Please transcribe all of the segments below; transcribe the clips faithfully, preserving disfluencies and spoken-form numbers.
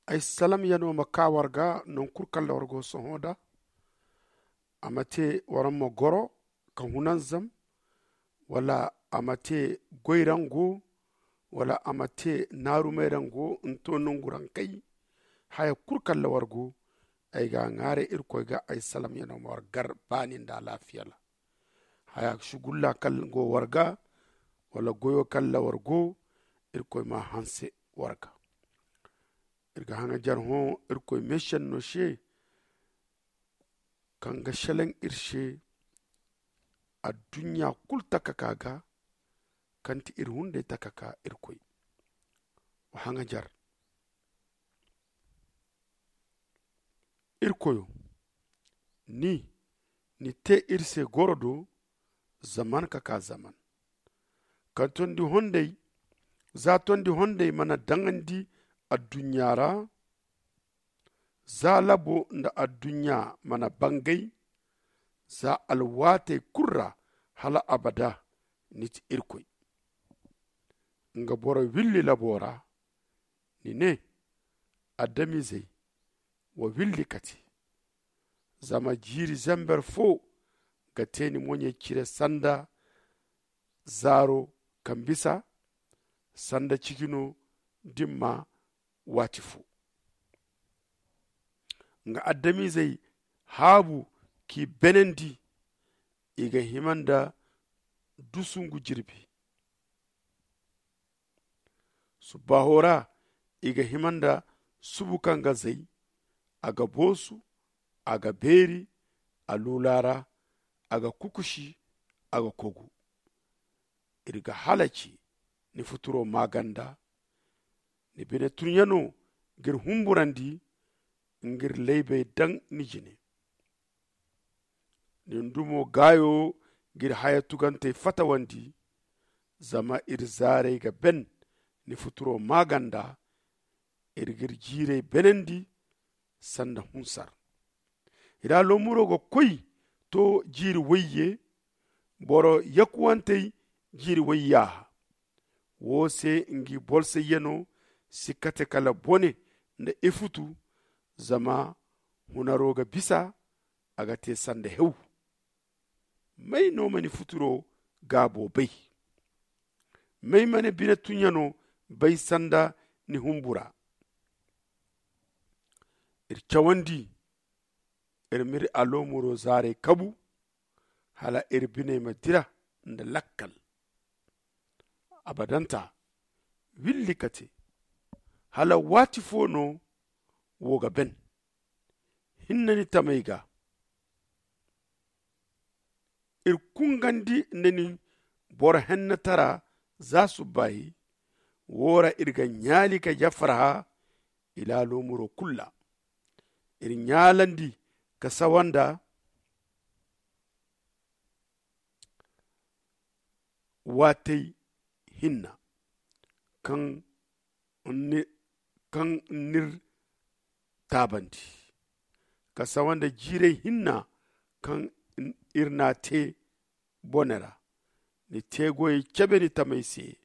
Ay salamyano ma kaa war ga, non kul kaŋ ra war go sohõ nda a ma te war ma goro ka hunanzam, wala a ma te goyrango, wala a ma te naarumay rango nto nongu rankay. Haya kul kaŋ ra war go, ay ga a ŋaaray irkoy ga ay salamyano ma war gar baani nda alaafiya ra. Haya sugulla kaŋ go war ga, wala goyo kaŋ ra war go, irkoy ma a hanse war ga. Iri ga haŋajer hõ irkoy meesenno se, kaŋ ga selaŋ iri se adduɲɲa kulu takaka ga, kaŋ ti iri hunday takaka. Irkoy wa haŋajer. Irkoyo, ni ni te iri se goro do zaman ka kaa zaman. Kaŋ tondi honday za tondi honday mana daŋandi adduɲɲa ra, za labo nda adduɲɲa mana bangay, za alwaatey kulu ra, hala abada ni ti irkoy. Nga boro willi labo ra, ni ne, adamizey wa willi kate. Zama jiiri zamber fo ga te ni moɲey cire sanda zaaro kaŋ bisa, sanda cijino dimma waati fo. Nga adamizey haabu k'i benandi, i ga hima nda dusungu jirbi. Subbaaho ra i ga hima nda subu kaŋ ga zay. A ga boosu, a ga beeri, a luula ra, a ga kukusi, a ga kogu. Iri ga halaci ni futuro maaganda. Ni bine tunɲano g'iri humburandi, nga iri laybey daŋ ni jine. Ni ndumo gaayo g'iri haya tugantey fatawandi. Zama iri zaarey ga ben ni futuro maaganda. Iri g'iri jiirey benandi sanda hunsar. Iri aloomuro ga koy to jiiri wayye. Boro yakuwantey jiiri wayyaaha. Wo se ngi bolsayyano si kate kala bone nda ifutu. Zama hunaro ga bisa, a ga te sanda hew. May no ma ni futuro gaabo bay? May ma ni bine tunɲano bay sanda ni humbura? Iri cawandi iri m'iri aloomuro zaarey kabu, hala iri biney ma dira nda lakkal. Abadanta willi ka te. Hala waati fo no wo ga ben? Hinne ni tamey ga iri kungandi nda ni boro hennetara za subbaahi. Wo ra iri ga ɲaali ka jafarha ilaalo muro kulu ra. Iri ɲaalandi ka sawanda waatey hinna kaŋ n'iri taabandi, ka sawanda jiirey hinna kaŋ iri n'a te bone ra. Ni te goyey cebe ni tamey se,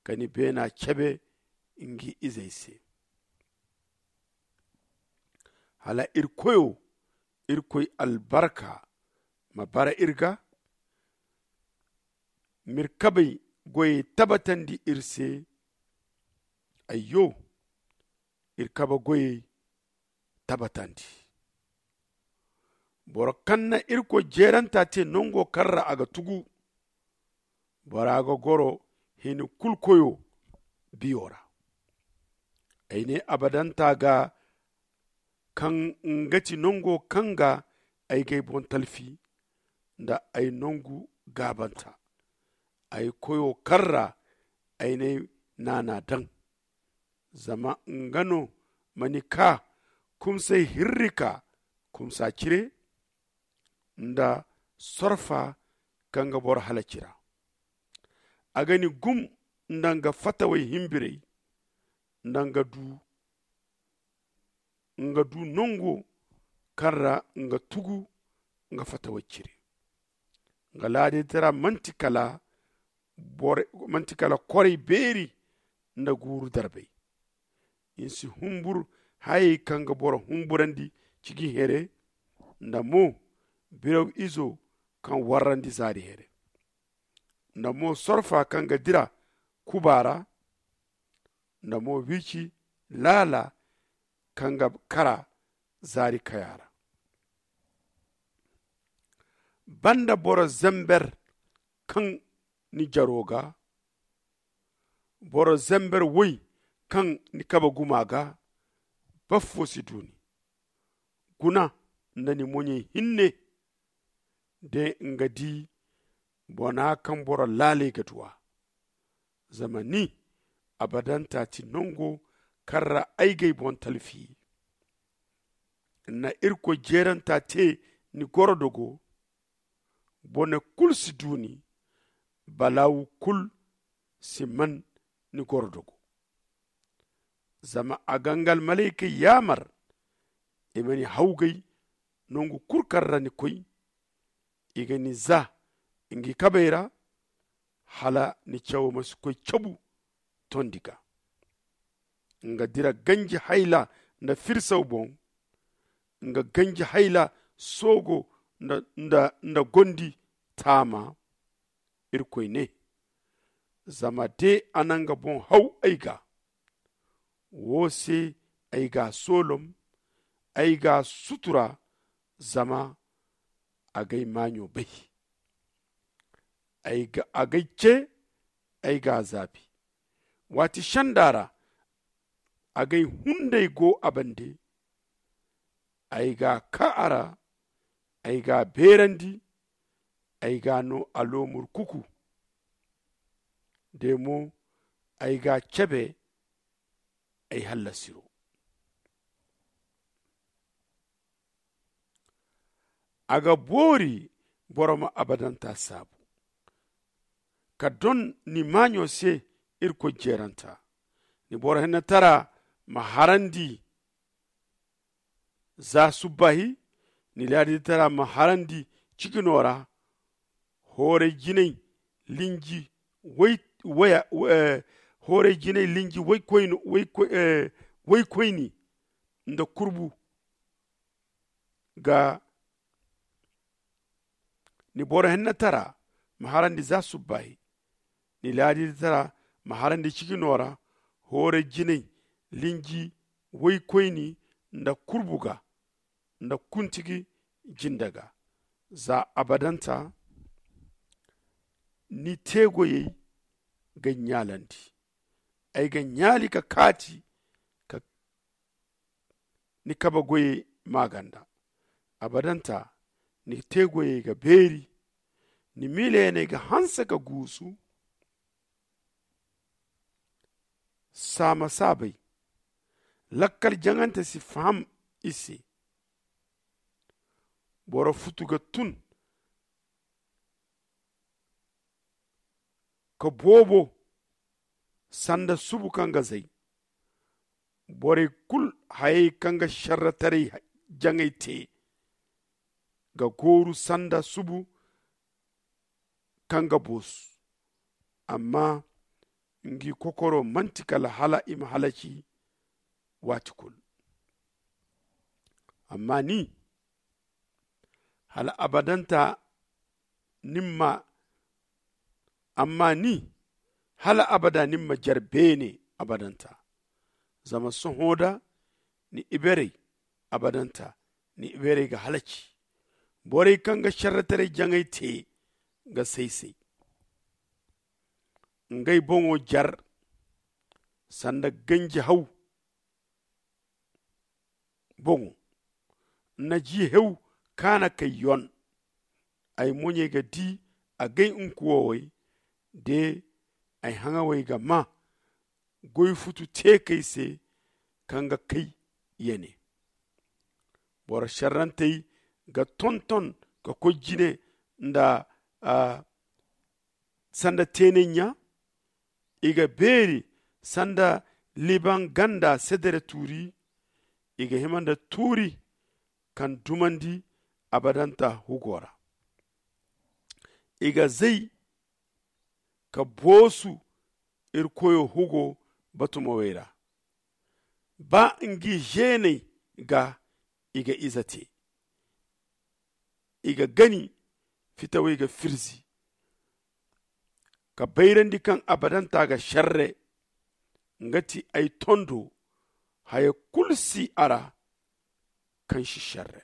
ka ni beena cebe ngi izey se. Hala iri koyo irkoy albarka ma bara iri ga. M'iri kabey goyey tabatandi iri se. Ayyo, iri kabe goyey tabatandi. Boro kaŋ na irkoy jeeranta te nango kaŋ ra a ga tugu, bora ga goro hini kulu koyo biyo ra. Ay ne abadanta ga, kaŋ nga ti nango kaŋ ga ay g'ay boŋ talfi nda ay nangu gaabanta, ay koyo kaŋ ra ay n'ay naana daŋ. Zama nga no ma ni kaa kumsay hirrika kumsa cire nda sorfa kaŋ ga boro halaci ra. A ga ni gum nda nga fatawey himbirey nda nga du nga du nango kaŋ ra nga tugu nga fatawey cire. Nga laaditara manti kala koray beeri nda guuru darbay. Ni si humbur hayey kaŋ ga boro humburandi ciji here, nda mo biraw izo kaŋ warrandi zaari here, nda mo sorfa kaŋ ga dira kuba ra, nda mo wiici laala kaŋ ga kara zaari kaya ra. Banda boro zember kaŋ ni jaro ga, boro zember woy kaŋ ni kabe guma ga, baffo si du ni. Guna nda ni moɲey hinne, de nga di bona kaŋ boro laaley ga duw'a. Zama ni abadanta ti nango kaŋ ra ay g'ay boŋ talfi. Na irkoy jeeranta te ni gorodogo. Bone kulu si du ni, balaawu kulu si man ni gorodogo. Zama a ga nga almalaykey yaamar i ma ni hawgay nangu kulu kaŋ ra ni koy. I ga ni za ngi kabey ra, hala ni cawo ma si koy cabu tondi ga. Nga dira ganji hayla nda firsaw boŋ, nga ganji hayla soogo nda gondi taama. Irkoy ne, zama de a na nga boŋ haw ay ga, wo se ay g'a soolom, ay g'a sutura. Zama a g'ay maaɲo bay, a g'ay ce, ay g'a zaabi. Waati senda ra a g'ay hunday go a bande. Ay g'a kaa a ra, ay g'a beerandi, ay g'a no aloomur kuku. De mo ay g'a cebe ay hallasiro. A ga boori boro ma abadanta saabu ka don ni maaɲo se. Irkoy jeeranta ni boro hennatara ma harandi za subbaahi, ni laaditara ma harandi cigino ra. Hooray jinay linji waya hooray jinay linji waykoyni nda kurbu ga. Ni boro hennatara ma harandi za subbaahi, ni laaditara ma harandi cigino ra. Hooray jinay linji waykoyni nda kurbu ga nda kuntigi jinde ga. Za abadanta ni teegoyey ga ɲaalandi. Ay ga ɲaali ka kaati ka ni kabe goyey maaganda. Abadanta ni teegoyey ga beeri. Ni miilayaney ga hanse ka guusu. Saama saabay lakkal jaŋante si faham i se. Boro futu ga tun ka boobo sanda subu kaŋ ga zay. Borey kulu hayey kaŋ ga sharrataray jaŋay te ga gooru sanda subu kaŋ ga boosu. Amma ngi kokoro manti kala hala i ma halaci waati kulu. Amma ni hala abadanta nin ma amma ni hala abada nin ma jare beene abadanta. Zama sohõ da ni iberey abadanta ni iberey ga halaci. Borey kaŋ ga sharrataray jaŋay te ga say-say. Ngey boŋo jar sanda ganji haw boŋo. Nna ji hew kaana kay yon. Ay moɲey ga di agay nkuwowey de ay haŋawey ga maa goy futu teekey se kaŋ ga kay yene. Boro šerrantey ga tonton ka koy jine nda sanda teenay ɲa. I ga beeri sanda liban ganda sedere tuuri. I ga hima nda tuuri kaŋ dumandi abadanta hugo ra. I ga zay ka boosu iri koyo hugo batumawey ra. Ba ngi zeeney ga i ga ize te, i ga gani fitawey ga firzi. Ka bayrandi kaŋ abadanta ga šerre, nga ti ay tondo. Haya kulu si a ra kaŋ si šerre.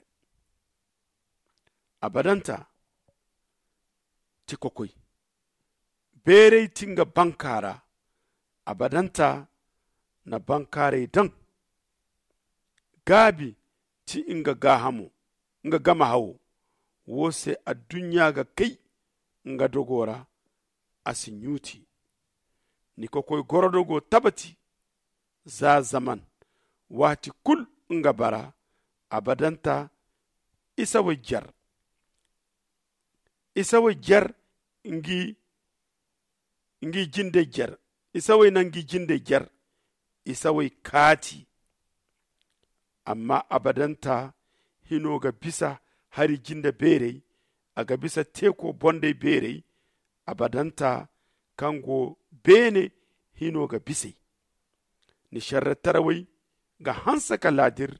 Abadanta ti kokoy. Beeray ti nga banka ra. Abadanta na bankaaray daŋ. Gaabi ti nga gaahamo, nga gama hawo. Wo se adduɲɲa ga kay nga dogo ra. A si ɲuuti. Ni kokoy gorodo go tabati. Za zaman waati kulu nga bara. Abadanta isawey jer. Isawey jer ngi jindey jer. Isawey na ngi jindey jer. Isawey kaati. Amma abadanta hino ga bisa hari jinde beerey. A ga bisa teeko bondey beerey. Abadanta kaŋ go beene hino ga bis'ey. Ni šerretarawey ga hanse ka laadir.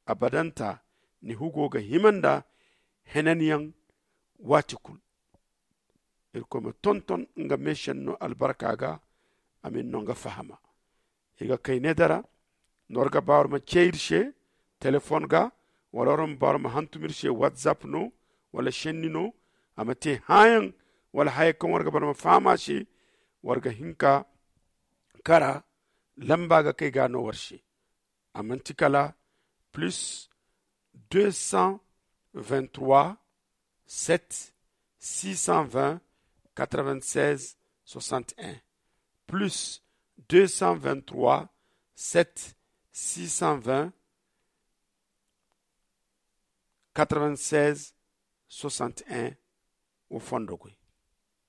Abadanta ni hugo ga hima nda henanyaŋ. Waati kulu. Irkoy ma tonton nga meešenno albarka ga. A ma iri no nga fahama. Iri ga kay needara no war ga ba war ma cee iri se. Telefon ga wala war ma ba war ma hantum iri se whatsapp no wala šenni no. A ma te hããyaŋ wala haya kaŋ war ga ba war ma faham a se. War ga hin ka kara lamba ga kay ga no war se. A manti kala plus deux cent vingt-trois sept six cent vingt quatre-vingt-seize soixante-un. Plus deux cent vingt-trois sept six cent vingt quatre-vingt-seize soixante-un. Wo fondo koy.